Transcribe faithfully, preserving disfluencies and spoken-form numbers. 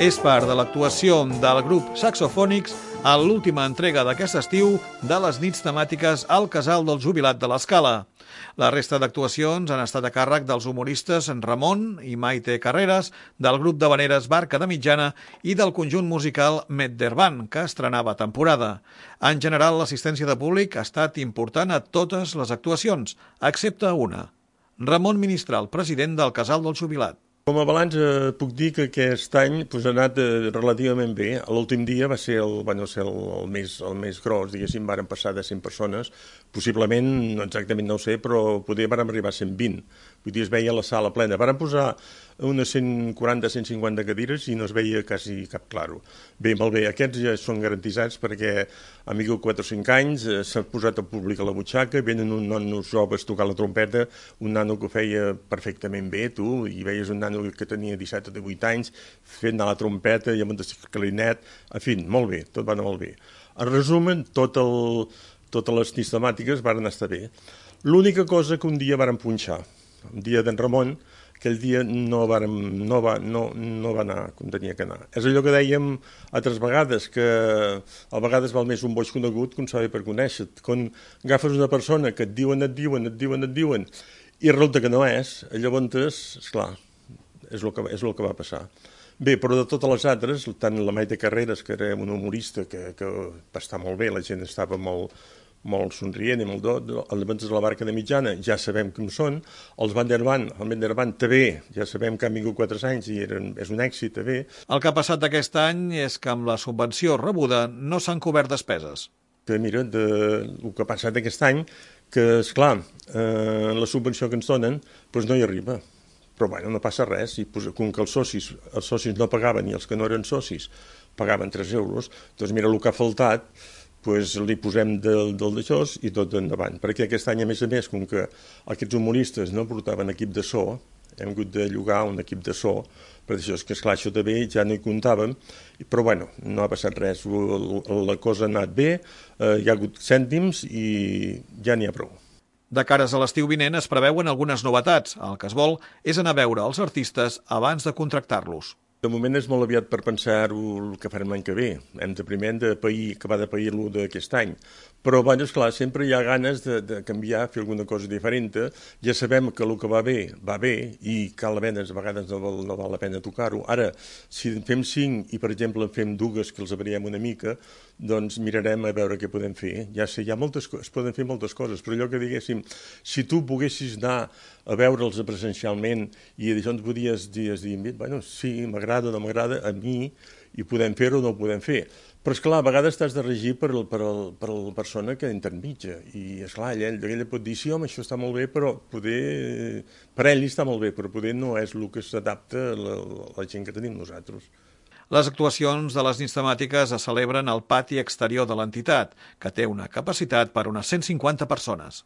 És part de l'actuació del grup Saxofònics a l'última entrega d'aquest estiu de les nits temàtiques al Casal del Jubilat de l'Escala. La resta d'actuacions han estat a càrrec dels humoristes Ramon i Maite Carreras, del grup d'havaneres Barca de Mitjana i del conjunt musical Meddervan, que estrenava temporada. En general, l'assistència de públic ha estat important a totes les actuacions, excepte una. Ramon Ministral, president del Casal del Jubilat. Com a balanç eh, puc dir que aquest any pues, ha anat eh, relativament bé. L'últim dia va ser el, bueno, ser el, el, més, el més gros, diguéssim, varen passar de cent persones, possiblement, no exactament no ho sé, però poder vàrem arribar a cent vint. Vull dir, es veia la sala plena. Varen posar unes cent quaranta a cent cinquanta cadires i no es veia quasi cap claro. Bé, molt bé, aquests ja són garantitzats perquè han vingut quatre o cinc anys, eh, s'ha posat el públic a la butxaca, venen uns nanos joves tocant la trompeta, un nano que ho feia perfectament bé, tu, i veies un nano que tenia disset o divuit anys fent anar la trompeta i amb el clarinet, en fi, molt bé, tot va anar molt bé. En resumen, tot el, totes les nits temàtiques van estar bé. L'única cosa que un dia varen punxar, el dia d'en Ramon, aquell dia no, vàrem, no, va, no, no va anar com tenia que anar. És allò que dèiem altres vegades, que a vegades val més un boig conegut que un savi per conèixer. Quan agafes una persona que et diuen, et diuen, et diuen, et diuen, i resulta que no és, llavors, esclar, és el que, és el que va passar. Bé, però de totes les altres, tant la Maite Carreras, que era una humorista que, que va estar molt bé, la gent estava molt, molt somrient i molt do, els de la Barca de Mitjana ja sabem com són, els Meddervan, el Meddervan també, ja sabem que han vingut quatre anys i eren, és un èxit també. El que ha passat aquest any és que amb la subvenció rebuda no s'han cobert despeses. Que mira, de, el que ha passat aquest any, que esclar, eh, la subvenció que ens donen doncs no hi arriba. Però bueno, no passa res, i com que els socis, els socis no pagaven i els que no eren socis pagaven tres euros, doncs mira, el que ha faltat, doncs li posem del, del d'això i tot endavant. Perquè aquest any, a més a més, com que aquests humoristes no portaven equip de so, hem hagut de llogar un equip de so, per això és que esclar, això també ja no hi comptàvem, però bueno, no ha passat res, la cosa ha anat bé, eh, hi ha hagut cèntims i ja n'hi ha prou. De cares a l'estiu vinent es preveuen algunes novetats. El que es vol és anar a veure els artistes abans de contractar-los. De moment és molt aviat per pensar el que farem l'any que ve. Hem de primer de pair, que va de pair-lo d'aquest any. Però, bueno, esclar, sempre hi ha ganes de, de canviar, fer alguna cosa diferent. Ja sabem que el que va bé, va bé, i cal a vegades, a vegades no val, no val la pena tocar-ho. Ara, si en fem cinc i, per exemple, en fem dues que els avariem una mica, doncs mirarem a veure què podem fer. Ja sé, hi ha moltes, es poden fer moltes coses, però allò que diguéssim, si tu poguessis anar a veure'ls presencialment i d'això ens podies dir, dir bueno, sí, m'agrada o no m'agrada, a mi, i podem fer-ho o no ho podem fer. Però, esclar, a vegades t'has de regir per, el, per, el, per la persona que intermitja. I, esclar, ell, ell pot dir, sí, home, això està molt bé, però poder... Per ell està molt bé, però poder no és el que s'adapta a la, la gent que tenim nosaltres. Les actuacions de les nits temàtiques es celebren al pati exterior de l'entitat, que té una capacitat per unes cent cinquanta persones.